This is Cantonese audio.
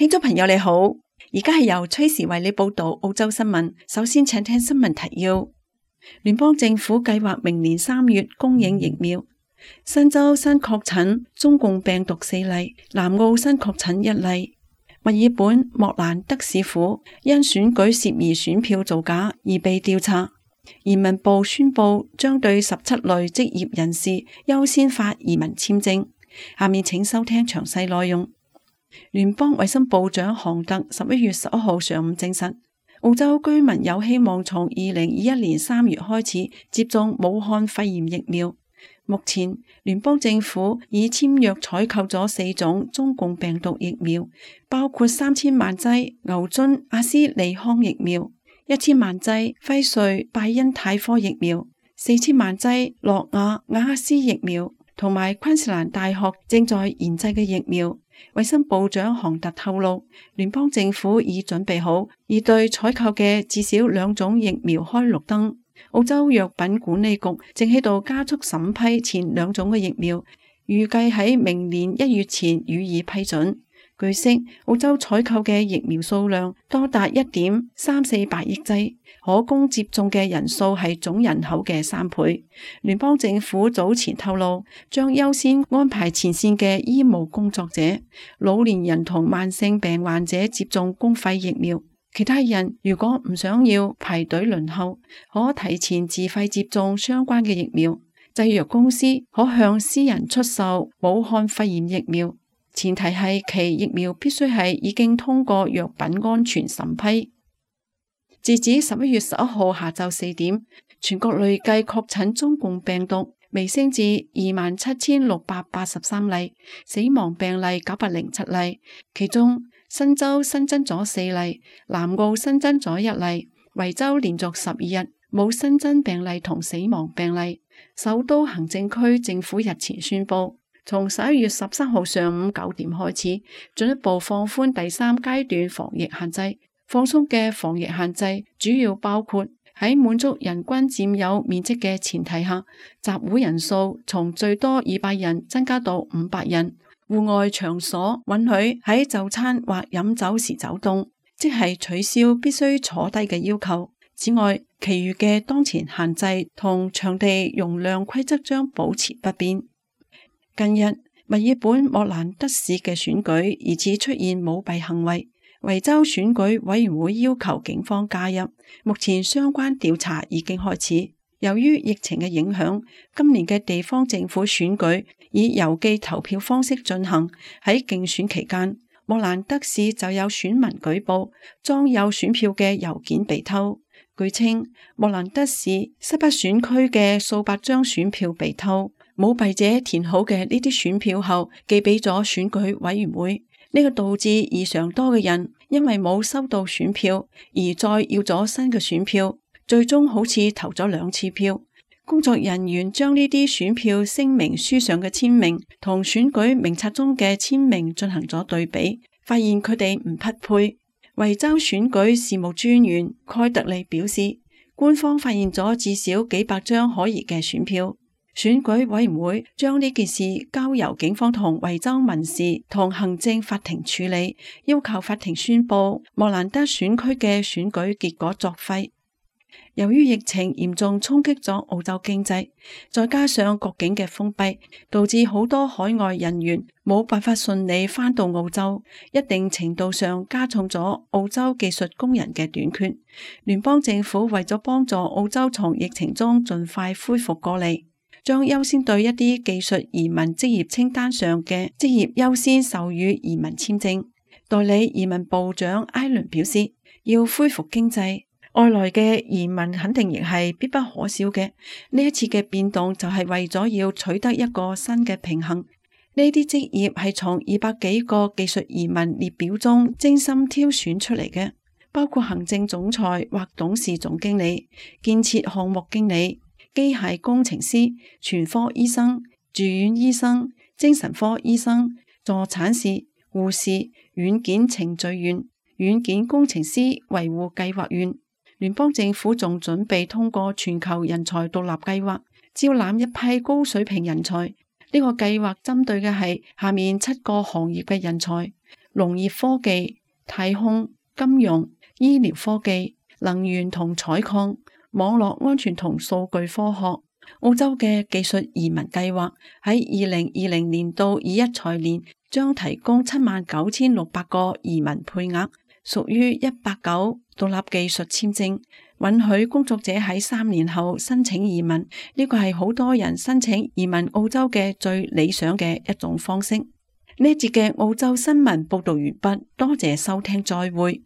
聽眾朋友你好，而家係由崔時為你報道澳洲新聞。首先請聽新聞提要。聯邦政府計劃明年3月供應疫苗。新州新確診中共病毒4例，南澳新確診1例。墨爾本莫蘭德市府因選舉涉疑選票造假而被調查。移民部宣布將對17類職業人士優先發移民簽證。下面請收聽詳細內容。聯邦衛生部長韓特11月11號上午證實，澳洲居民有希望從2021年3月開始接種武漢肺炎疫苗。目前，聯邦政府已簽約採購咗4種中共病毒疫苗，包括3000萬劑牛津阿斯利康疫苗、1000萬劑輝瑞拜恩泰科疫苗、4000萬劑諾亞瓦克斯疫苗，同埋昆士蘭大學正在研製嘅疫苗。衛生部長韓特透露，聯邦政府已準備好，已對採購嘅至少2種疫苗開綠燈。澳洲藥品管理局正喺度加速審批前2種嘅疫苗，預計喺明年1月前予以批准。據悉，澳洲採購嘅疫苗數量多達1.348億劑，可供接種嘅人數係總人口嘅3倍。聯邦政府早前透露，將優先安排前線嘅醫務工作者、老年人同慢性病患者接種公費疫苗。其他人如果唔想要排隊輪候，可提前自費接種相關嘅疫苗。製藥公司可向私人出售武漢肺炎疫苗，前提係其疫苗必須係已經通過藥品安全審批。截止11月11號下晝4點，全國累計確診中共病毒微升至27,683例，死亡病例907例，其中新州新增咗4例，南澳新增咗1例，維州連續12日冇新增病例同死亡病例。首都行政區政府日前宣布，從11月13號上午9點開始，進一步放寬第3階段防疫限制。放鬆嘅防疫限制主要包括喺滿足人均佔有面積嘅前提下，集會人數從最多200人增加到500人。戶外場所允許喺就餐或飲酒時走動，即係取消必須坐低嘅要求。此外，其餘嘅當前限制同場地容量規則將保持不變。近日，墨爾本莫蘭德市嘅選舉疑似出現舞弊行為，維州選舉委員會要求警方介入，目前相關調查已經開始。由於疫情嘅影響，今年嘅地方政府選舉以郵寄投票方式進行。喺競選期間，莫蘭德市就有選民舉報裝有選票嘅郵件被偷。據稱，莫蘭德市西北選區嘅數百張選票被偷，舞弊者填好嘅呢啲選票後寄俾咗選舉委員會，呢個導致異常多嘅人因為冇收到選票而再要咗新嘅選票，最終好似投咗2次票。工作人員將呢啲選票聲明書上嘅簽名同選舉名冊中嘅簽名進行咗對比，發現佢哋唔匹配。維州選舉事務專員蓋特利表示，官方發現咗至少幾百張可疑嘅選票。選舉委員會將呢件事交由警方同維州民事同行政法庭處理，要求法庭宣布莫蘭德選區嘅選舉結果作廢。由於疫情嚴重衝擊咗澳洲經濟，再加上國境嘅封閉，導致好多海外人員冇辦法順利返到澳洲，一定程度上加重咗澳洲技術工人嘅短缺。聯邦政府為咗幫助澳洲從疫情中盡快恢復過嚟，將優先對一啲技術移民職業清單上嘅職業優先授予移民簽證。代理移民部長艾倫表示，要恢復經濟，外來嘅移民肯定亦係必不可少嘅。呢一次嘅變動就係為咗要取得一個新嘅平衡。呢啲職業係從200幾個技術移民列表中精心挑選出嚟嘅，包括行政總裁或董事總經理、建設項目經理、機械工程師、全科醫生、住院醫生、精神科醫生、助產士、護士、軟件程序員、軟件工程師、維護計劃員。聯邦政府仲準備通過全球人才獨立計劃，招攬一批高水平人才。呢個計劃針對嘅係下面7個行業嘅人才，農業科技、太空、金融、醫療科技、能源同採礦、網絡安全同數據科學。澳洲嘅技術移民計劃喺2020年到21財年將提供79,600個移民配額，屬於190獨立技術簽證，允許工作者喺3年後申請移民。呢個係好多人申請移民澳洲嘅最理想嘅一種方式。呢一節嘅澳洲新聞報道完畢，多謝收聽，再會。